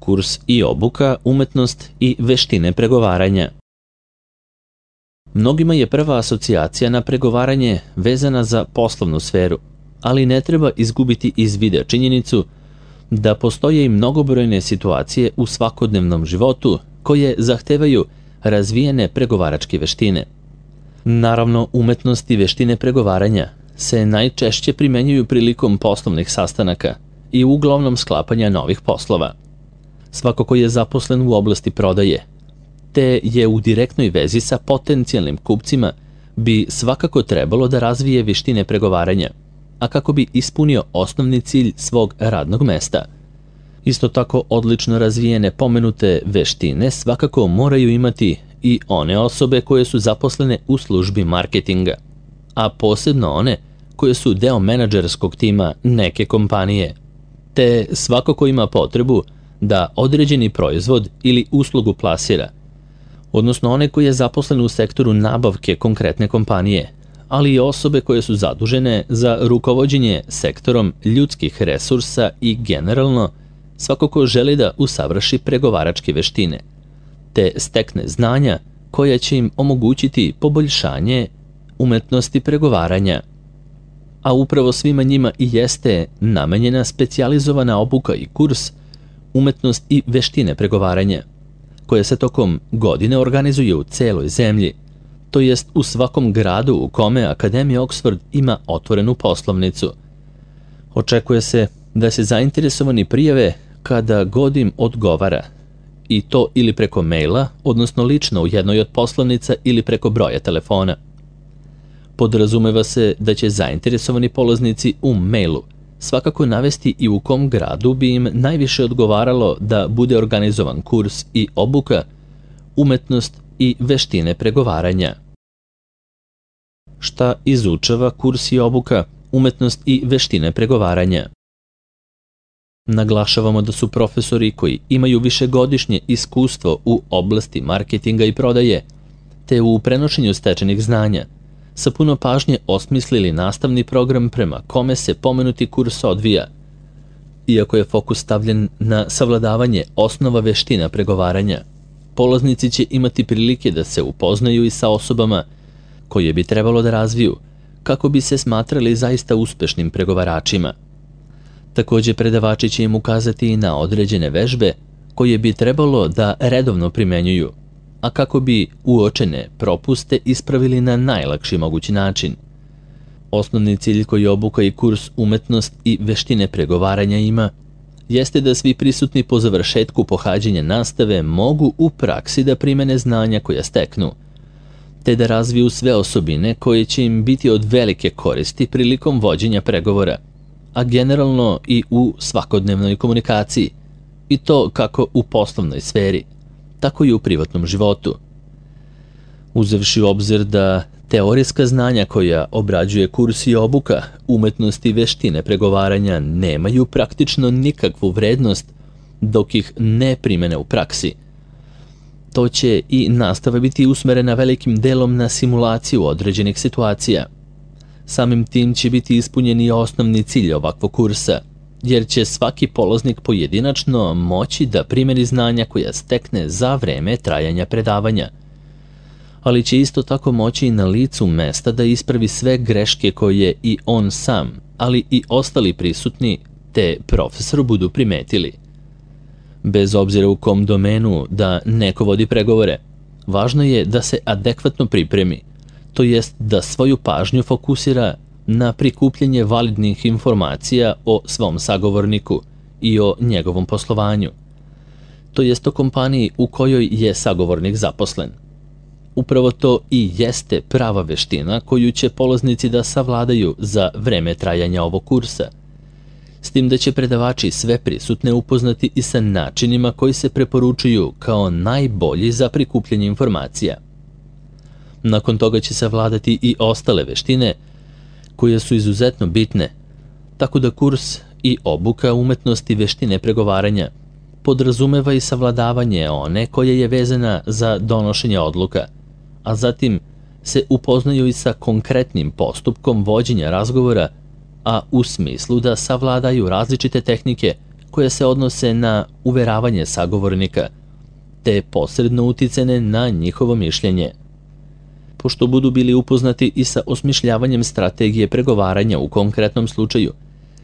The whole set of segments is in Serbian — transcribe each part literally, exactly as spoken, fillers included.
kurs i obuka, umetnost i veštine pregovaranja. Mnogima je prva asocijacija na pregovaranje vezana za poslovnu sferu, ali ne treba izgubiti iz vida činjenicu da postoje i mnogobrojne situacije u svakodnevnom životu koje zahtevaju razvijene pregovaračke veštine. Naravno, umetnost i veštine pregovaranja se najčešće primenjuju prilikom poslovnih sastanaka i uglavnom sklapanja novih poslova. Svako ko je zaposlen u oblasti prodaje, te je u direktnoj vezi sa potencijalnim kupcima, bi svakako trebalo da razvije veštine pregovaranja, a kako bi ispunio osnovni cilj svog radnog mesta. Isto tako odlično razvijene pomenute veštine svakako moraju imati i one osobe koje su zaposlene u službi marketinga, a posebno one koje su deo menadžerskog tima neke kompanije, te svako ko ima potrebu da određeni proizvod ili uslugu plasira, odnosno one koji je zaposlen u sektoru nabavke konkretne kompanije, ali i osobe koje su zadužene za rukovođenje sektorom ljudskih resursa i generalno svako ko želi da usavrši pregovaračke veštine, te stekne znanja koja će im omogućiti poboljšanje umetnosti pregovaranja. A upravo svima njima i jeste namenjena specijalizovana obuka i kurs umetnost i veštine pregovaranja, koja se tokom godine organizuje u celoj zemlji, to jest u svakom gradu u kome Akademija Oxford ima otvorenu poslovnicu. Očekuje se da se zainteresovani prijave kada god im odgovara, i to ili preko maila, odnosno lično u jednoj od poslovnica ili preko broja telefona. Podrazumeva se da će zainteresovani polaznici u mailu svakako navesti i u kom gradu bi im najviše odgovaralo da bude organizovan kurs i obuka, umetnost i veštine pregovaranja. Šta izučava kurs i obuka, umetnost i veštine pregovaranja? Naglašavamo da su profesori koji imaju višegodišnje iskustvo u oblasti marketinga i prodaje, te u prenošenju stečenih znanja, sa puno pažnje osmislili nastavni program prema kome se pomenuti kurs odvija. Iako je fokus stavljen na savladavanje osnova veština pregovaranja, polaznici će imati prilike da se upoznaju i sa osobama koje bi trebalo da razviju kako bi se smatrali zaista uspešnim pregovaračima. Takođe, predavači će im ukazati i na određene vežbe koje bi trebalo da redovno primenjuju, a kako bi uočene propuste ispravili na najlakši mogući način. Osnovni cilj koji obuka i kurs umetnost i veštine pregovaranja ima jeste da svi prisutni po završetku pohađanja nastave mogu u praksi da primene znanja koja steknu, te da razviju sve osobine koje će im biti od velike koristi prilikom vođenja pregovora, a generalno i u svakodnevnoj komunikaciji, i to kako u poslovnoj sferi, tako i u privatnom životu. Uzevši u obzir da teorijska znanja koja obrađuje kurs i obuka, umetnosti i veštine pregovaranja nemaju praktično nikakvu vrednost dok ih ne primene u praksi, to će i nastava biti usmerena velikim delom na simulaciju određenih situacija. Samim tim će biti ispunjen i osnovni cilj ovakvog kursa, jer će svaki polaznik pojedinačno moći da primeni znanja koja stekne za vreme trajanja predavanja, ali će isto tako moći i na licu mesta da ispravi sve greške koje i on sam, ali i ostali prisutni, te profesor budu primetili. Bez obzira u kom domenu da neko vodi pregovore, važno je da se adekvatno pripremi, to jest da svoju pažnju fokusira na prikupljanje validnih informacija o svom sagovorniku i o njegovom poslovanju, to jest o kompaniji u kojoj je sagovornik zaposlen. Upravo to i jeste prava veština koju će polaznici da savladaju za vreme trajanja ovog kursa, s tim da će predavači sve prisutne upoznati i sa načinima koji se preporučuju kao najbolji za prikupljanje informacija. Nakon toga će savladati i ostale veštine koje su izuzetno bitne, tako da kurs i obuka umetnosti veštine pregovaranja podrazumeva i savladavanje one koje je vezana za donošenje odluka, a zatim se upoznaju i sa konkretnim postupkom vođenja razgovora, a u smislu da savladaju različite tehnike koje se odnose na uveravanje sagovornika, te posredno uticene na njihovo mišljenje. Pošto budu bili upoznati i sa osmišljavanjem strategije pregovaranja u konkretnom slučaju,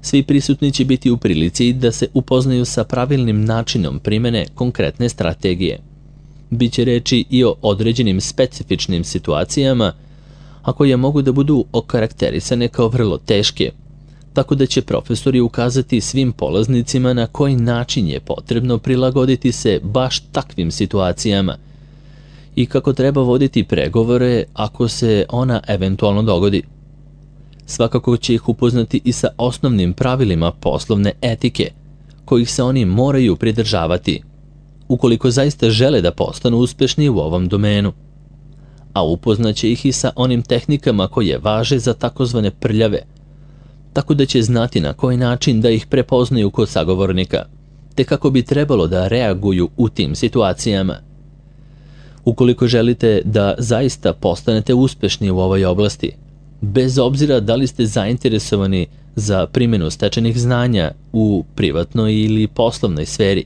svi prisutni će biti u prilici da se upoznaju sa pravilnim načinom primene konkretne strategije. Biće reči i o određenim specifičnim situacijama, a koje mogu da budu okarakterisane kao vrlo teške, tako da će profesori ukazati svim polaznicima na koji način je potrebno prilagoditi se baš takvim situacijama i kako treba voditi pregovore ako se ona eventualno dogodi. Svakako će ih upoznati i sa osnovnim pravilima poslovne etike, kojih se oni moraju pridržavati, ukoliko zaista žele da postanu uspešni u ovom domenu. A upoznaće ih i sa onim tehnikama koje važe za takozvane prljave, tako da će znati na koji način da ih prepoznaju kod sagovornika, te kako bi trebalo da reaguju u tim situacijama. Ukoliko želite da zaista postanete uspešni u ovoj oblasti, bez obzira da li ste zainteresovani za primjenu stečenih znanja u privatnoj ili poslovnoj sferi,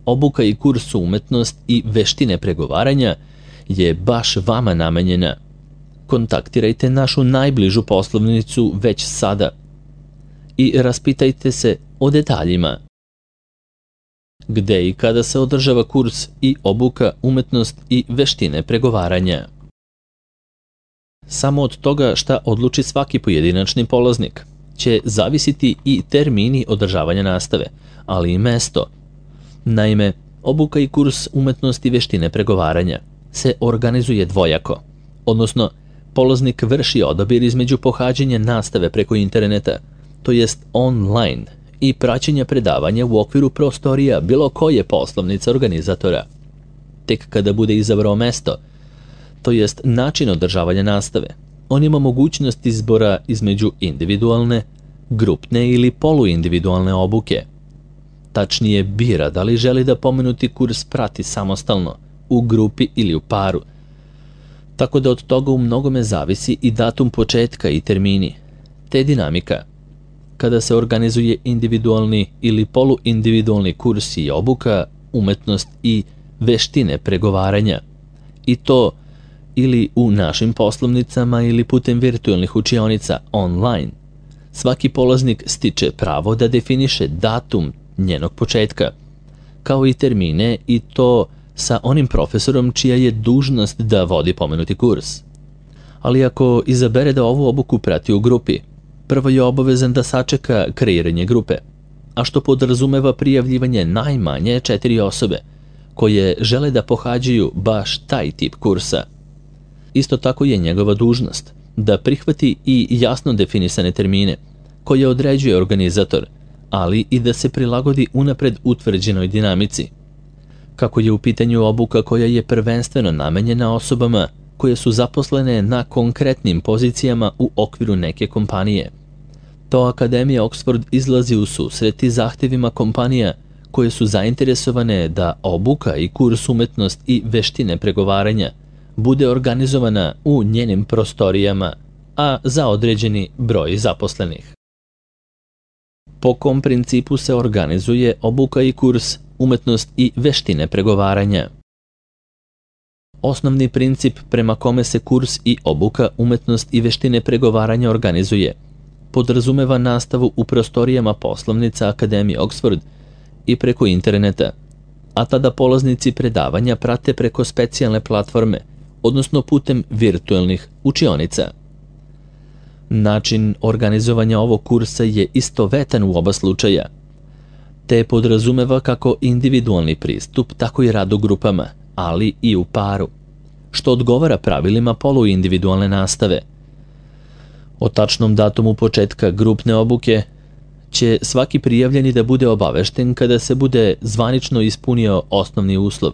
obuka i kurs umetnost i veštine pregovaranja je baš vama namenjena. Kontaktirajte našu najbližu poslovnicu već sada i raspitajte se o detaljima. Gde i kada se održava kurs i obuka umetnost i veštine pregovaranja? Samo od toga šta odluči svaki pojedinačni polaznik će zavisiti i termini održavanja nastave, ali i mesto. Naime, obuka i kurs umetnosti i veštine pregovaranja se organizuje dvojako, odnosno polaznik vrši odabir između pohađanja nastave preko interneta, to jest online, i praćenja predavanja u okviru prostorija bilo koje poslovnice organizatora. Tek kada bude izabrao mesto, to jest način održavanja nastave, on ima mogućnost izbora između individualne, grupne ili poluindividualne obuke. Tačnije bira da li želi da pomenuti kurs prati samostalno, u grupi ili u paru. Tako da od toga u mnogome zavisi i datum početka i termini, te dinamika. Kada se organizuje individualni ili poluindividualni kurs i obuka, umetnost i veštine pregovaranja, i to ili u našim poslovnicama ili putem virtualnih učionica online, svaki polaznik stiče pravo da definiše datum njenog početka, kao i termine, i to sa onim profesorom čija je dužnost da vodi pomenuti kurs. Ali ako izabere da ovu obuku prati u grupi, prvo je obavezan da sačeka kreiranje grupe, a što podrazumeva prijavljivanje najmanje četiri osobe koje žele da pohađaju baš taj tip kursa. Isto tako je njegova dužnost da prihvati i jasno definisane termine koje određuje organizator, ali i da se prilagodi unapred utvrđenoj dinamici. Kako je u pitanju obuka koja je prvenstveno namenjena osobama koje su zaposlene na konkretnim pozicijama u okviru neke kompanije, to Akademija Oxford izlazi u susret i zahtevima kompanija koje su zainteresovane da obuka i kurs umetnost i veštine pregovaranja bude organizovana u njenim prostorijama, a za određeni broj zaposlenih. Po kom principu se organizuje obuka i kurs umetnost i veštine pregovaranja? Osnovni princip prema kome se kurs i obuka umetnost i veštine pregovaranja organizuje podrazumeva nastavu u prostorijama poslovnica Akademije Oxford i preko interneta, a tada polaznici predavanja prate preko specijalne platforme, odnosno putem virtualnih učionica. Način organizovanja ovog kursa je istovetan u oba slučaja, te podrazumeva kako individualni pristup, tako i rad u grupama, ali i u paru, što odgovara pravilima poluindividualne nastave. O tačnom datumu početka grupne obuke će svaki prijavljeni da bude obavešten kada se bude zvanično ispunio osnovni uslov,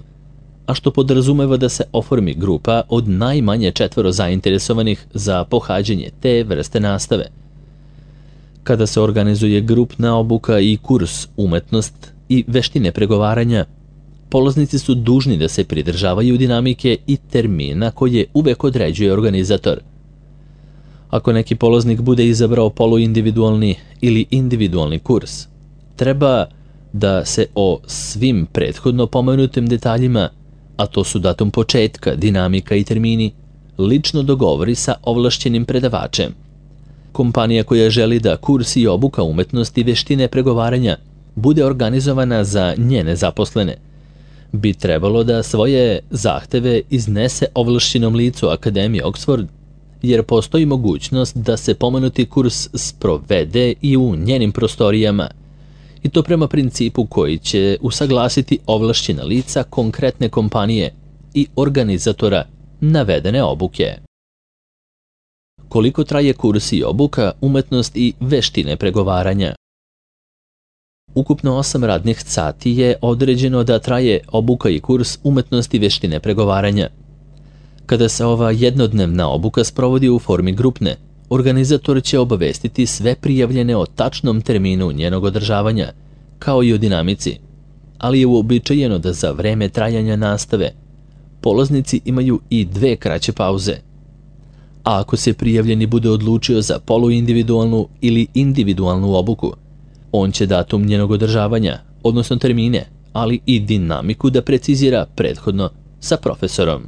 a što podrazumeva da se oformi grupa od najmanje četvoro zainteresovanih za pohađanje te vrste nastave. Kada se organizuje grupna obuka i kurs umetnost i veštine pregovaranja, polaznici su dužni da se pridržavaju dinamike i termina koje uvek određuje organizator. Ako neki polaznik bude izabrao poluindividualni ili individualni kurs, treba da se o svim prethodno pomenutim detaljima, a to su datum početka, dinamika i termini, lično dogovori sa ovlašćenim predavačem. Kompanija koja želi da kurs i obuka umetnosti veštine pregovaranja bude organizovana za njene zaposlene, bi trebalo da svoje zahteve iznese ovlašćenom licu Akademije Oxford, jer postoji mogućnost da se pomenuti kurs sprovede i u njenim prostorijama, i to prema principu koji će usaglasiti ovlašćena lica konkretne kompanije i organizatora navedene obuke. Koliko traje kurs i obuka umetnost i veštine pregovaranja? Ukupno osam radnih sati je određeno da traje obuka i kurs umetnosti veštine pregovaranja. Kada se ova jednodnevna obuka sprovodi u formi grupne, organizator će obavestiti sve prijavljene o tačnom terminu njenog održavanja, kao i o dinamici, ali je uobičajeno da za vreme trajanja nastave polaznici imaju i dve kraće pauze. A ako se prijavljeni bude odlučio za poluindividualnu ili individualnu obuku, on će datum njenog održavanja, odnosno termine, ali i dinamiku da precizira prethodno sa profesorom.